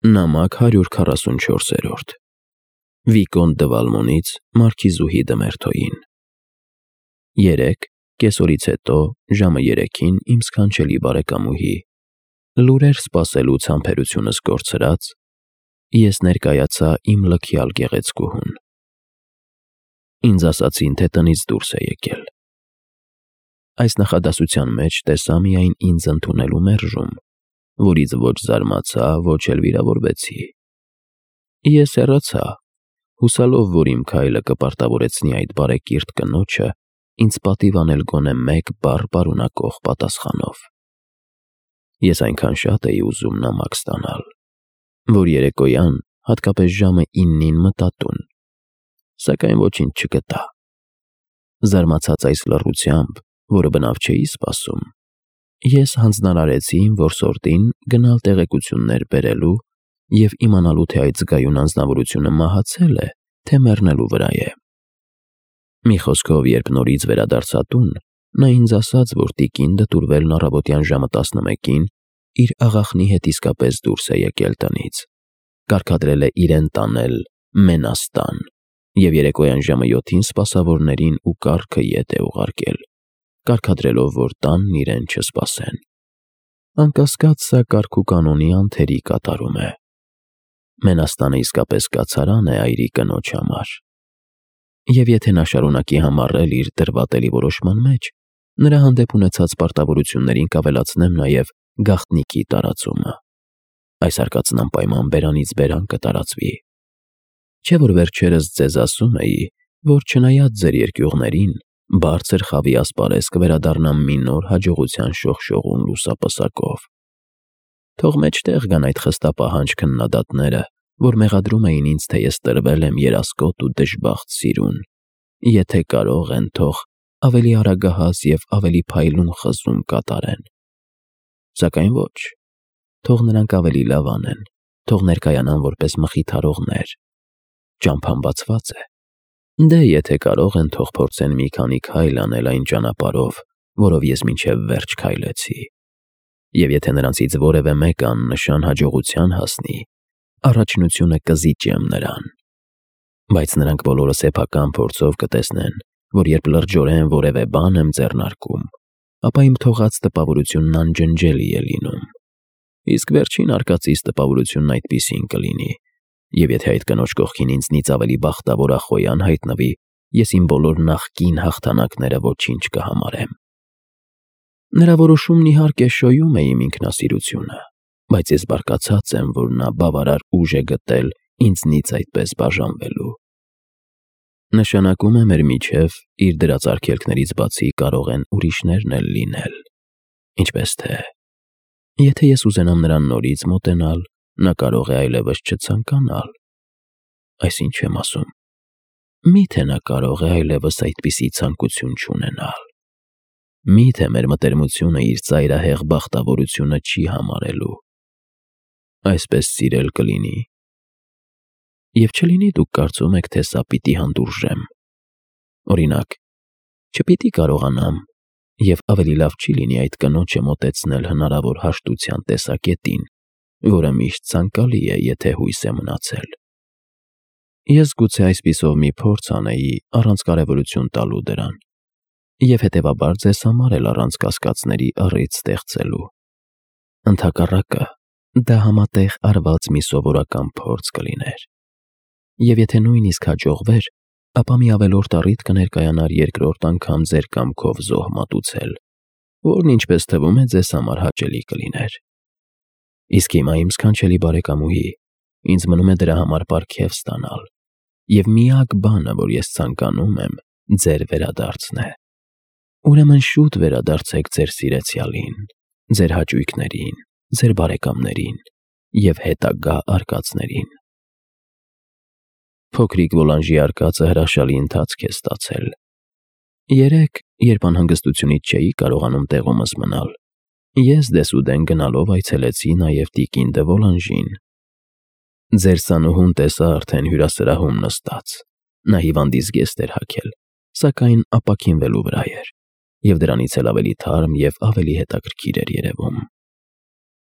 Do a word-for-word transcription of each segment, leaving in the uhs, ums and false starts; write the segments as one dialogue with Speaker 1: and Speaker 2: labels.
Speaker 1: Նամակ հարյուր քառասունչորս Վիկոնտ դը Վալմոնից Մարքիզուհի Դմերթոյին Երեկ, կեսօրից հետո, ժամը երեքին, իմ սքանչելի բարեկամուհի, լուրեր սպասելուց համբերությունս կորցրած, ես ներկայացա իմ լքյալ գեղեցկուհուն։ Ինձ ասացին, թե տնից դուրս է եկել։ Այս նախադասության մեջ տեսա միայն ինձ ընդունելու մերժում, որից ոչ զարմացա, ոչ էլ վիրավորվեցի։ Ես հեռացա, հուսալով, որ իմ քայլը կպարտավորեցնի այդ բարեկիրթ կնոջը ինձ պատիվ անել գոնե մեկ բառ պարունակող պատասխանով։ Ես այնքան շատ էի ուզում նամակ ստանալ, որ երեկոյան, հատկապես ժամը իննին մտա տուն, սակայն ոչինչ չգտա։ Զարմացած այս լռությամբ, որը բնավ չէի սպասում, ես հանձնարարեցի իմ որսորդին գնալ տեղեկություններ բերելու և իմանալու, թե այդ զգայուն անձնավորությունը մահացել է, թե մեռնելու վրա է։ Մի խոսքով, երբ նորից վերադարձա տուն, նա ինձ ասաց, որ տիկին դտուրվելն առավոտյան ժամը տասնմեկին իր աղախնի հետ իսկապես դուրս է եկել տնից, կարգադրել է իրեն տանել Մենաստան և երեկոյան ժամը յոթին սպասավորներին ու կառքը ետ է ուղարկել, կարգադրելով, որ տանն իրեն չսպասեն։ Անկասկած, սա կարգուկանոնի անթերի կատարում է։ Մենաստանը իսկապես կացարան է այրի կնոջ համար։ Եվ եթե նա շարունակի համառել իր դրվատելի որոշման մեջ, նրա հանդեպ ունեցած պարտավորություններին կավելացնեմ նաև գաղտնիքի տարածումը։ Այս արկածն անպայման բերանից բերան կտարածվի։ Չէ՞ որ վերջերս ձեզ ասում էի, որ չնայած ձեր երկյուղներին, բարձր խավի ասպարեզ կվերադառնամ մի նոր հաջողության շողշողուն լուսապսակով։ Թող մեջտեղ գան այդ խստապահանջ քննադատները, որ մեղադրում էին ինձ, թե ես տրվել եմ երասկոտ ու դժբախտ սիրուն, եթե կարող են, թող ավելի արագահաս և ավելի փայլուն խզում կատարեն։ Սակայն ոչ, թող նրանք ավելի լավ անեն, թող ներկայանան որպես մխիթարողներ։ Ճամփան բացված է։ Դե եթե կարող են, թող փորձեն մի քանի քայլ անել այն ճանապարհով, որով ես մինչև վերջ քայլեցի։ Եվ եթե նրանցից որևէ մեկը աննշան հաջողության հասնի, առաջնությունը կզիջեմ նրան։ Բայց նրանք բոլորը սեփական փորձով կտեսնեն, որ երբ լրջորեն որևէ բան եմ ձեռնարկում, ապա իմ թողած տպավորությունն անջնջելի է լինում։ Իսկ վերջին արկածիս տպավորությունն այդպիսին կլինի, և եթե այդ կնոջ կողքին ինձնից ավելի բախտավոր ախոյան հայտնվի, ես իմ բոլոր նախկին հաղթանակները ոչինչ կհամարեմ։ Նրա որոշումն իհարկե շոյում է իմ ինքնասիրությունը, բայց ես բարկացած եմ, որ նա բավարար ուժ է գտել ինձնից այդպես բաժանվելու։ Նշանակում է մեր միջև իր դրած արգելքներից բացի կարող են ուրիշներն էլ լինել, ինչպես թե, եթե ես ուզենամ նրան նորից մոտենալ, նա կարող է այլևս չցանկանալ։ Այս ինչ եմ ասում։ Մի՞թե նա կարող է այլևս այդպիսի ցանկություն չունենալ։ Մի՞թե մեր մտերմությունը իր ծայրահեղ բախտավորությունը չի համարելու։ Այսպես սիրել կլինի։ Եվ չլինի դուք կարծում եք, թե սա պիտի հանդուրժեմ։ Օրինակ, չպիտի կարողանամ, և ավելի լավ չի լինի այդ կնոջը մոտեցնել հնարավոր հաշտության տեսակետին, որը միշտ ցանկալի է, եթե հույս է մնացել։ Ես գուցե այսպիսով մի փորձ անեի առանց կարևորություն տալու դրան, և հետևաբար ձեզ համար էլ առանց կասկածների առիթ ստեղծելու։ Ընդհակառակը, դա համատեղ արված մի սովորական փորձ կլիներ։ Եվ եթե նույնիսկ հաջողվեր, ապա մի ավելորդ առիթ կներկայանար երկրորդ անգամ ձեր կամքով զոհ մատուցել, որն ինչպես թվում է ձեզ համար հաճելի կլիներ։ Իսկ հիմա, իմ սքանչելի բարեկամուհի, ինձ մնում է դրա համար պարգև ստանալ, և միակ բանը, որ ես ցանկանում եմ, ձեր վերադարձն է։ Ուրեմն շուտ վերադարձեք ձեր սիրեցյալին, ձեր հաճույքներին, ձեր բարեկամներին և հետագա արկածներին։ Փոքրիկ Վոլանժի արկածը հրաշալի ընթացք է ստացել։ Երեկ, երբ անհանգստությունից չէի կարողանում տեղումս մնալ, ես դեսուդեն գնալով այցելեցի նաև տիկին դը Վոլանժին։ Ձեր սանուհուն տեսա արդեն հյուրասրահում նստած։ Նա հիվանդից զգեստ էր հագել, սակայն ապաքինվելու վրա էր, և դրանից էլ ավելի թարմ և ավելի հետաքրքիր էր երևում։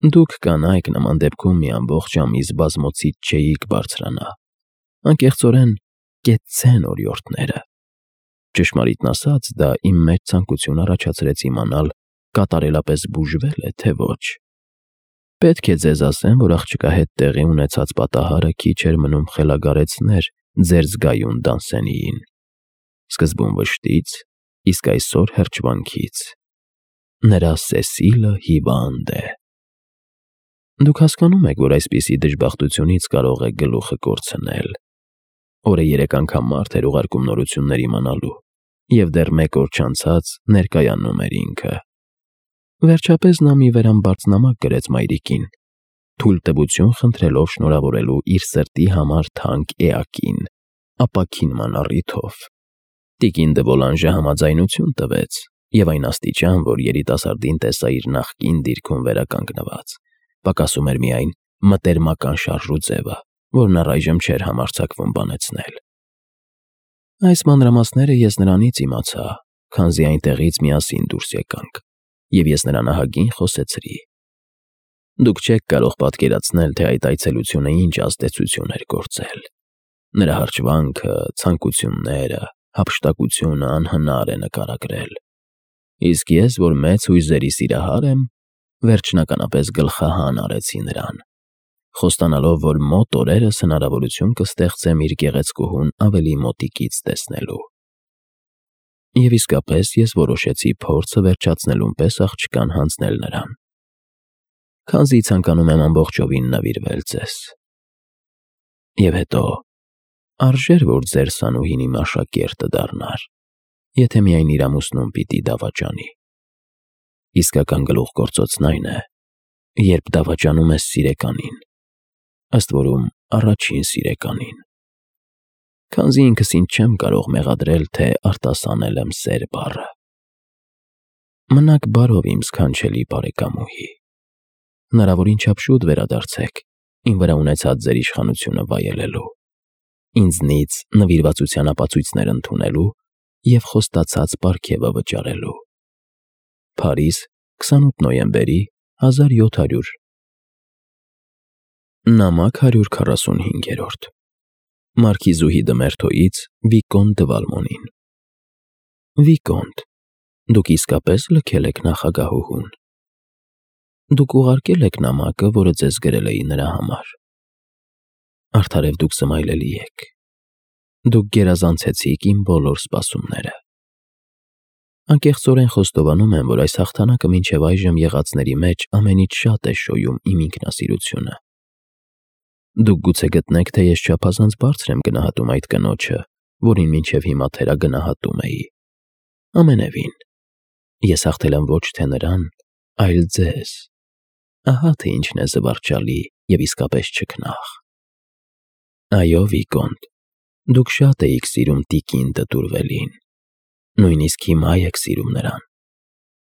Speaker 1: Դուք կանայք նման դեպքում մի ամբողջ ամիս բազմոցից չէիք բարձրանա, անկեղծորեն կեցցեն օրիորդները։ Ճշմարիտն ասած, դա իմ մեջ ցանկություն առաջացրեց իմանալ կատարելապես բուժվել է, թե ոչ։ Պետք է ձեզ ասեմ, որ աղջկա հետ տեղի ունեցած պատահարը քիչ էր մնում խելագարեցներ ձեր զգայուն Դանսենիին։ Սկզբում վշտից, իսկ այսօր հրճվանքից։ Նրա Սեսիլը հիվանդ է։ Դուք հասկանում եք, որ այսպիսի դժբախտությունից կարող է գլուխը կորցնել։ Օրը երեք անգամ մարդ էր ուղարկում նորություններ իմանալու, և դեռ մեկ օր չանցած ներկայանում էր ինքը։ Վերջապես նա մի վերամբարձնամակ գրեց մայրիկին, թույլտվություն խնդրելով շնորհավորելու իր սրտի համար թանկ էակին, ապաքինման առիթով։ Տիկին դե Վոլանժը համաձայնություն տվեց, և այն աստիճան, որ երիտասարդին տեսա իր նախկին դիրքում վերականգնված, պակասում էր միայն մտերմական շարժու ձևը, որն առայժմ չէր համարձակվում բանեցնել։ Այս մանրամասները ես նրանից իմացա, քանզի այնտեղից միասին դուրս եկանք, և ես նրան ահագին խոսեցրի։ Դուք չեք կարող պատկերացնել, թե այդ այցելությունը ինչ ազդեցություն էր գործել։ Նրա հրճվանքը, ցանկությունները, հափշտակությունը անհնար է նկարագրել։ Իսկ ես, որ մեծ հույզերի սիրահար եմ, վերջնականապես գլխահան արեցի նրան, խոստանալով, որ մոտ օրերս հնարավորություն կստեղծեմ իր գեղեցկուհուն ավելի մոտիկից տեսնելու։ Եվ իսկապես ես որոշեցի փորձը վերջացնելուն պես աղջկան հանձնել նրան, քանզի ցանկանում եմ ամբողջովին նվիրվել ձեզ։ Եվ հետո, արժեր որ ձեր սանուհին իմ աշակերտը դառնար, եթե միայն իր ամուսնուն պիտի դավաճանի։ Իսկական գլուխգործոցն այն է, երբ դավաճանում ես սիրեկանին, ըստ որում առաջին սիրեկանին։ Քանզի ինքս ինձ չեմ կարող մեղադրել, թե արտասանել եմ սեր բառը։ Մնաք բարով, իմ սքանչելի բարեկամուհի։ Հնարավորին չափ շուտ վերադարձեք իմ վրա ունեցած ձեր իշխանությունը վայելելու, ինձնից նվիրվածության ապացույցներ ընդունելու և խոստացած պարգևը վճարելու։ Փարիզ, քսանութ նոյեմբերի հազար յոթ հարյուր։ Նամակ հարյուր քառասունհինգ. Մարքիզուհի դը Մերթոյից Վիկոնտ դը Վալմոնին։ Վիկոնտ, դուք իսկապես լքել եք նախագահուհուն։ Դուք ուղարկել եք նամակը, որը ձեզ գրել էի նրա համար։ Արդարև դուք սմայլելի եք։ Դուք գերազանցեցիք իմ բոլոր սպասումները։ Անկեղծորեն խոստովանում եմ, որ այս հաղթանակը մինչև այժմ եղածների մեջ ամենից շատ է շոյում իմ ինքնասիրությունը։ Դուք գուցե գտնեք, թե ես չափազանց բարձր եմ գնահատում այդ կնոջը, որին մինչև հիմա թերագնահատում էի։ Ամենևին, ես հաղթել եմ ոչ թե նրան, այլ ձեզ։ Ահա թե ինչն է զվարճալի և իսկապես չքնաղ։ Այո, Վիկոնտ, դուք շատ էիք սիրում տիկին դը Տուրվելին, նույնիսկ հիմա եք սիրում նրան,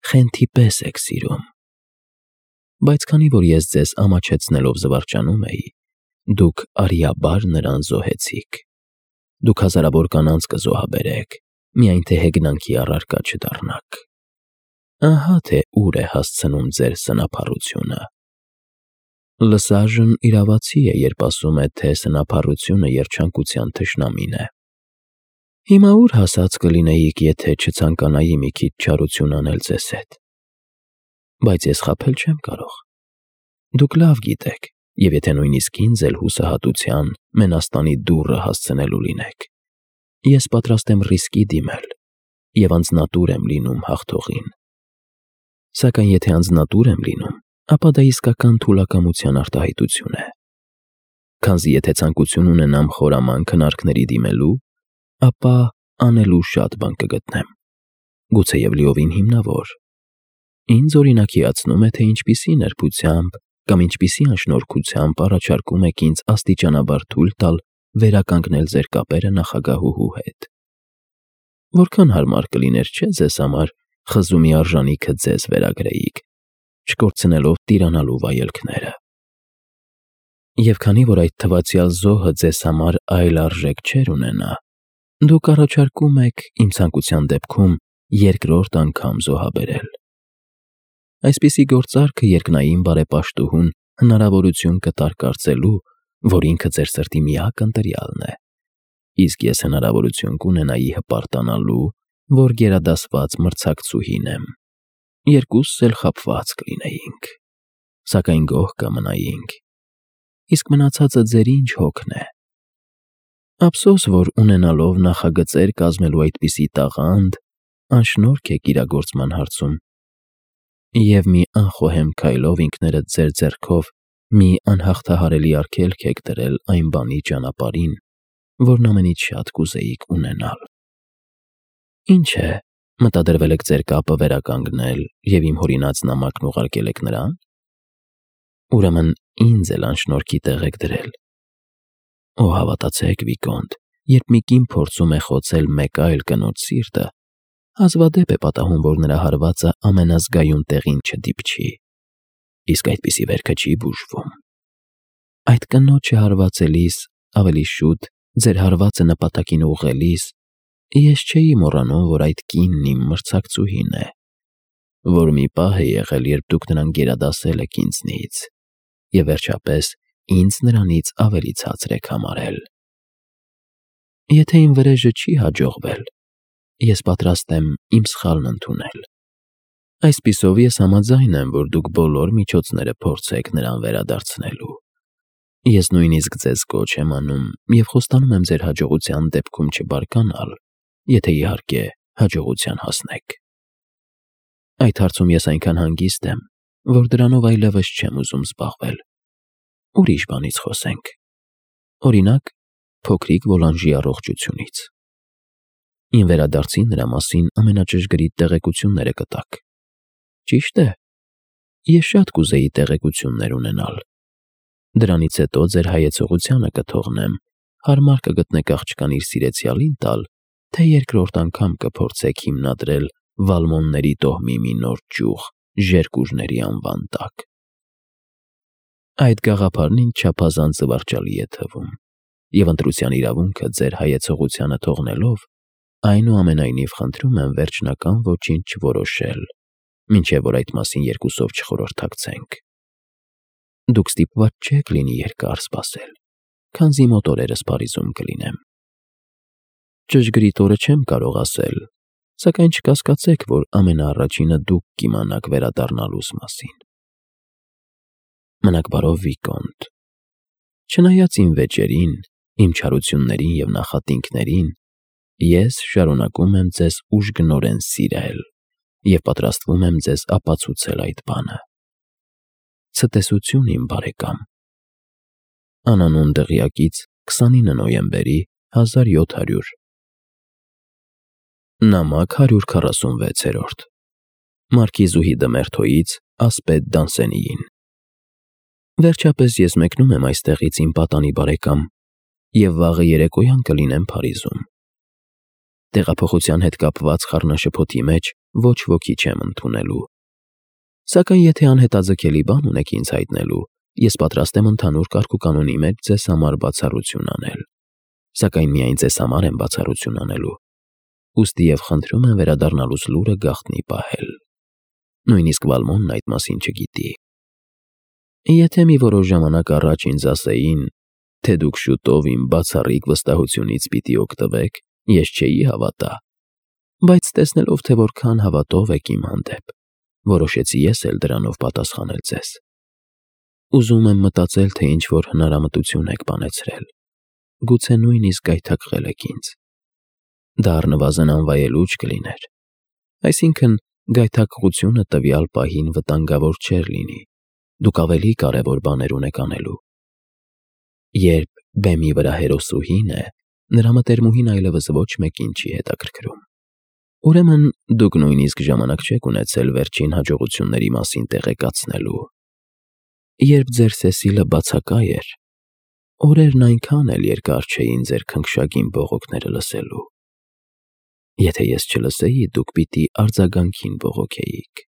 Speaker 1: խենթի պես եք սիրում։ Բայց քանի որ ես ձեզ ամաչեցնելով զվարճանում էի, դուք արիաբար նրան զոհեցիք։ Դուք հազարավոր կանանց կզոհաբերեք, միայն թե հեգնանքի առարկա չդառնաք։ Ահա թե ուր է հասցնում ձեր սնափառությունը։ Լսաժն իրավացի է, երբ ասում է, թե սնափառությունը երջանկության թշնամին է։ Հիմա ուր հասած կլինեիք, եթե չցանկանայի մի քիչ չարություն անել ձեզ հետ։ Բայց ես խաբել չեմ կարող։ Դուք լավ գիտեք, և եթե նույնիսկ ինձ էլ հուսահատության, մենաստանի դուռը հասցնելու լինեք, ես պատրաստ եմ ռիսկի դիմել և անձնատուր եմ լինում հաղթողին։ Սակայն եթե անձնատուր եմ լինում, ապա դա իսկական թուլակամության արտահայտություն է։ Քանզի եթե ցանկություն ունենամ խորամանկ քննարկների դիմելու, ապա անելու շատ բան կգտնեմ, գուցեև լիովին հիմնավոր։ Ինձ օրինակիացնում է, թե ինչպիսի նրբությամբ կամ ինչպիսի անշնորհքությամբ առաջարկում եք ինձ աստիճանաբար թույլ տալ վերականգնել ձեր կապերը նախագահուհու հետ։ Որքան հարմար կլիներ, չէ՞ ձեզ համար խզումի արժանիքը ձեզ վերագրեիք, չկորցնելով տիրանալու վայելքները։ Եվ քանի որ այդ թվացյալ զոհը ձեզ համար այլ արժեք չէր ունենա, դուք առաջարկում եք իմ ցանկության դեպքում երկրորդ անգամ զոհաբերել։ Այսպիսի գործարքը երկնային բարեպաշտուհուն հնարավորություն կտար կարծելու, որ ինքը ձեր սրտի միակ ընտրյալն է, իսկ ես հնարավորություն կունենայի հպարտանալու, որ գերադասված մրցակցուհին եմ։ Երկուսս էլ խաբված կլինեինք, սակայն գոհ կմնայինք, իսկ մնացածը ձեր ինչ հոգն է։ Ափսոս, որ ունենալով նախագծեր կազմելու այդպիսի տաղանդ, անշնորհք եք իրագործման հարցում, և մի անխոհեմ քայլով ինքներդ ձեր ձեռքով մի անհաղթահարելի արգելք եք դրել այն բանի ճանապարհին, որն ամենից շատ կուզեիք ունենալ։ Ինչ է, մտադրվել եք ձեր կապը վերականգնել և իմ հորինած նամակն ուղարկել եք նրան։ Ուրեմն ինձ էլ անշնորհքի տեղ եք դրել։ Օ, հավատացեք, Վիկոնտ, երբ մի կին փորձում է խոցել մեկ այլ կնոջ սիրտը, հազվադեպ է պատահում, որ նրա հարվածը ամենազգայուն տեղին չդիպչի, իսկ այդպիսի վերքը չի բուժվում։ Այդ կնոջը հարվածելիս, ավելի շուտ ձեր հարվածը նպատակին ուղղելիս, ես չէի մոռանում, որ այդ կինն իմ մրցակցուհին է, որ մի պահ է եղել, երբ դուք նրան գերադասել եք ինձնից, և վերջապես ինձ նրանից ավելի ցածր եք համարել։ Եթե իմ վրեժը չի հաջողվել, ես պատրաստ եմ իմ սխալն ընդունել։ Այսպիսով ես համաձայն եմ, որ դուք բոլոր միջոցները փորձեք նրան վերադարձնելու։ Ես նույնիսկ ձեզ կոչ եմ անում և խոստանում եմ ձեր հաջողության դեպքում չբարկանալ, եթե իհարկե հաջողության հասնեք։ Այդ հարցում ես այնքան հանգիստ եմ, որ դրանով այլևս չեմ ուզում զբաղվել։ Ուրիշ բանից խոսենք։ Օրինակ, փոքրիկ Վոլանժի առողջությունից։ Իմ վերադարձի նրա մասին ամենաճշգրիտ տեղեկությունները կտաք։ Ճիշտ է, ես շատ կուզեի տեղեկություններ ունենալ։ Դրանից հետո ձեր հայեցողությանը կթողնեմ, հարմար կգտնեք աղջկան իր սիրեցյալին տալ, թե երկրորդ անգամ կփորձեք հիմնադրել Վալմոնների տոհմի մի նոր ճյուղ Ժերկուժների անվան տակ։ Այդ գաղափարն ինձ չափազանց զվարճալի է թվում, և ընտրության իրավունքը ձեր հայեցողությանը թողնելով, այնուամենայնիվ խնդրում եմ վերջնական ոչինչ չորոշել, մինչև որ այդ մասին երկուսով չխորհրդակցենք։ Դուք ստիպված չեք լինի երկար սպասել, քանզի մոտ օրերս Փարիզում կլինեմ։ Ճշգրիտ օրը չեմ կարող ասել, սակայն չկասկածեք, որ ամենաառաջինը դուք կիմանաք վերադառնալուս մասին։ Մնաք բարով, Վիկոնտ։ Չնայած իմ վեճերին, իմ չարություններին և նախատինքներին, ես շարունակում եմ ձեզ ուժգնորեն սիրել և պատրաստվում եմ ձեզ ապացուցել այդ բանը։ Ցտեսություն, իմ բարեկամ։ Անանուն դղյակից քսանինը նոյեմբերի հազար յոթ հարյուր։ Նամակ հարյուր քառասունվեց։ Մարքիզուհի դը Մերթոյից ասպետ Դանսենիին։ Վերջապես ես մեկնում եմ այստեղից, իմ պատանի բարեկամ, և վաղը երեկոյան կլինեմ Փարիզում։ Տեղափոխության հետ կապված խառնաշփոթի մեջ ոչ ոքի չեմ ընդունելու։ Սակայն եթե անհետաձգելի բան ունեք ինձ հայտնելու, ես պատրաստ եմ ընդհանուր կարգուկանոնի մեջ ձեզ համար բացառություն անել, սակայն միայն ձեզ համար եմ բացառություն անելու, ուստի և խնդրում եմ վերադառնալուս լուրը գաղտնի պահել։ Նույնիսկ Վալմոնն այդ մասին չգիտի։ Եթե մի որոշ ժամանակ առաջ ինձ ասեին, թե դուք շուտով իմ բացառիկ վստահությունից պիտի օգտվեք, ես չէի հավատա, բայց տեսնելով, թե որքան հավատով եք իմ հանդեպ, որոշեցի ես էլ դրանով պատասխանել ձեզ։ Ուզում եմ մտածել, թե ինչ-որ հնարամտություն եք բանեցրել, գուցե նույնիսկ գայթակղել եք ինձ։ Դա առնվազն անվայելուչ կլիներ, այսինքն գայթակղությունը տվյալ պահին վտանգավոր չէր լինի, դուք ավելի կարևոր բաներ ունեք անելու։ Երբ բեմի վրա հերոսուհին է, նրա մտերմուհին այլևս ոչ մեկին չի հետաքրքրում։ Ուրեմն դուք նույնիսկ ժամանակ չեք ունեցել վերջին հաջողությունների մասին տեղեկացնելու։ Երբ ձեր Սեսիլը բացակա էր, օրերն այնքան էլ երկար չէին ձեր քնքշագին բողոքները լսելու։ Եթե ես չլսեի, դուք պիտի արձագանքին բողոքեիք։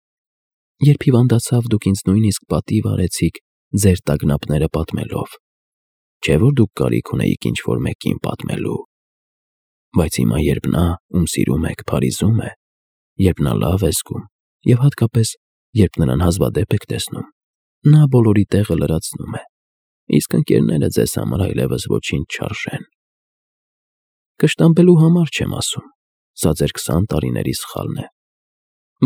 Speaker 1: Երբ հիվանդացավ, դուք ինձ նույնիսկ պատիվ արեցիք ձեր տագնապները պատմելով, չէ՞ որ դուք կարիք ունեիք ինչ-որ մեկին պատմելու։ Բայց հիմա, երբ նա, ում սիրում եք, Փարիզում է, երբ նա լավ է զգում, և հատկապես երբ նրան հազվադեպ եք տեսնում, նա բոլորի տեղը լրացնում է, իսկ ընկերները ձեզ համար այլևս ոչինչ չարժեն։ Կշտամբելու համար չեմ ասում, սա ձեր քսան տարիների սխալն է։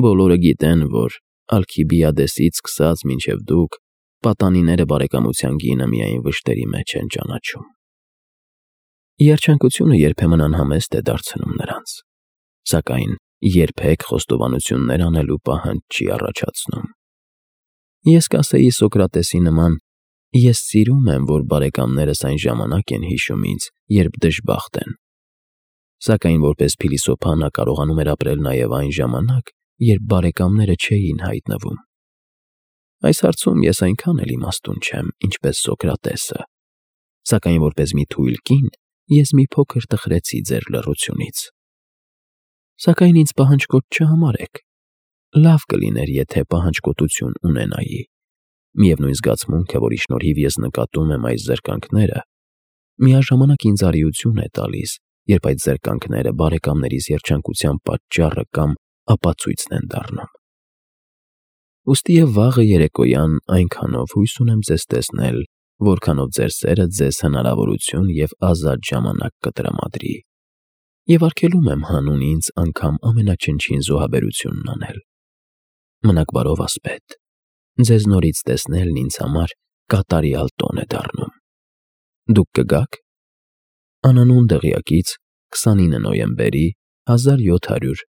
Speaker 1: Բոլորը գիտեն, որ Ալքիբիադեսից սկսած մինչև դուք պատանիները բարեկամության գինը միայն վշտերի մեջ են ճանաչում։ Երջանկությունը երբեմն անհամեստ է դարձնում նրանց, սակայն երբեք խոստովանություններ անելու պահանջ չի առաջացնում։ Ես կասեի Սոկրատեսի նման. ես սիրում եմ, որ բարեկամներս այն ժամանակ են հիշում ինձ, երբ դժբախտ են։ Սակայն որպես փիլիսոփա նա կարողանում էր ապրել նաև այն ժամանակ, երբ բարեկամները չէին հայտնվում։ Այս հարցում ես այնքան էլ իմաստուն չեմ, ինչպես Սոկրատեսը, սակայն որպես մի թույլ կին ես մի փոքր տխրեցի ձեր լռությունից։ Սակայն ինձ պահանջկոտ չհամարեք։ Լավ կլիներ, եթե պահանջկոտություն ունենայի։ Միևնույն զգացմունքը, որի շնորհիվ ես նկատում եմ այս զրկանքները, միաժամանակ ինձ արիություն է տալիս, երբ այդ զրկանքները բարեկամներիս երջանկության պատճառը կամ ապացույցն են դառնում։ Ուստի և վաղը երեկոյան այնքանով հույս ունեմ ձեզ տեսնել, որքանով ձեր սերը ձեզ հնարավորություն և ազատ ժամանակ կտրամադրի, և արգելում եմ հանուն ինձ անգամ ամենաչնչին զոհաբերությունն անել։ Մնաք բարով, ասպետ, ձեզ նորից տեսնելն ինձ համար կատարյալ տոն է դառնում։ Դուք կգա՞ք։ Անանուն դղյակից քսանինը նոյեմբերի հազար յոթ հարյուր